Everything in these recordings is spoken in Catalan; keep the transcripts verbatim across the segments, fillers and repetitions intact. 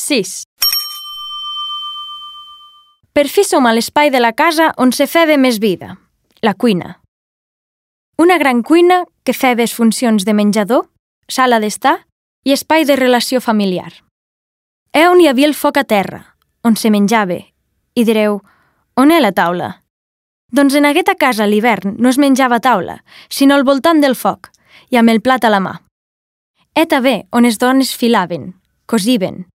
sis. Per fi som a l'espai de la casa on se feva més vida, la cuina. Una gran cuina que feva les funcions de menjador, sala d'estar i espai de relació familiar. És on hi havia el foc a terra, on se menjava, i direu, on és la taula? Doncs en aquesta casa a l'hivern no es menjava a taula, sinó al voltant del foc, i amb el plat a la mà. És també on les dones filaven, cosiven.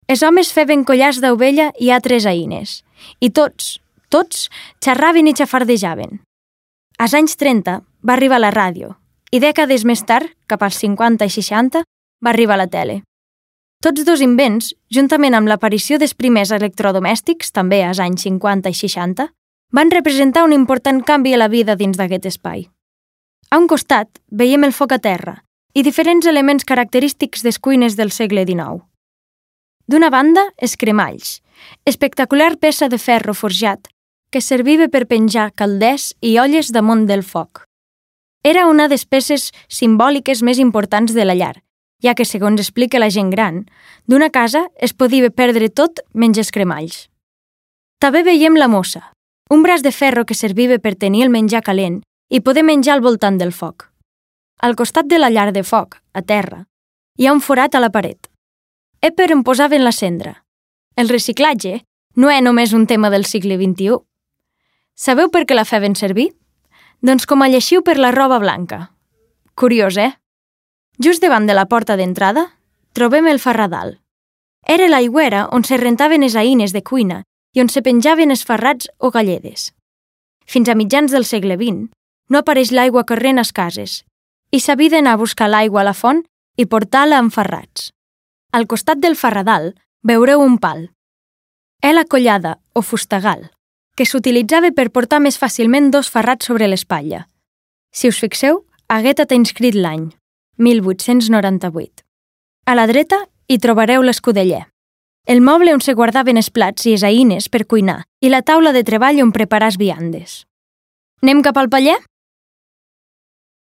Els homes feien collars d'ovella i altres eines, i tots, tots, xerraven i xafardejaven. Als anys trenta va arribar la ràdio, i dècades més tard, cap als cinquanta i seixanta, va arribar la tele. Tots dos invents, juntament amb l'aparició dels primers electrodomèstics, també als anys cinquanta i seixanta, van representar un important canvi a la vida dins d'aquest espai. A un costat veiem el foc a terra i diferents elements característics des cuines del segle dinou. D'una banda, els cremalls, espectacular peça de ferro forjat que serviva per penjar calders i olles damunt del foc. Era una de les peces simbòliques més importants de la llar, ja que, segons explica la gent gran, d'una casa es podia perdre tot menys els cremalls. També veiem la mossa, un braç de ferro que serviva per tenir el menjar calent i poder menjar al voltant del foc. Al costat de la llar de foc, a terra, hi ha un forat a la paret. És per on posaven la cendra. El reciclatge no és només un tema del segle vint-i-u. Sabeu per què la feien servir? Doncs com a lleixiu per la roba blanca. Curiós, eh? Just davant de la porta d'entrada trobem el farradal. Era l'aigüera on se rentaven les eines de cuina i on se penjaven els ferrats o galledes. Fins a mitjans del segle vint no apareix l'aigua corrent a les cases i s'havia d'anar a buscar l'aigua a la font i portar-la amb ferrats. Al costat del farradal veureu un pal. És la collada o fustagal, que s'utilitzava per portar més fàcilment dos ferrats sobre l'espatlla. Si us fixeu, Agueta t'ha inscrit l'any, mil vuit-cents noranta-vuit. A la dreta hi trobareu l'escudeller, el moble on se guardaven els plats i les eines per cuinar i la taula de treball on preparar les viandes. Anem cap al paller?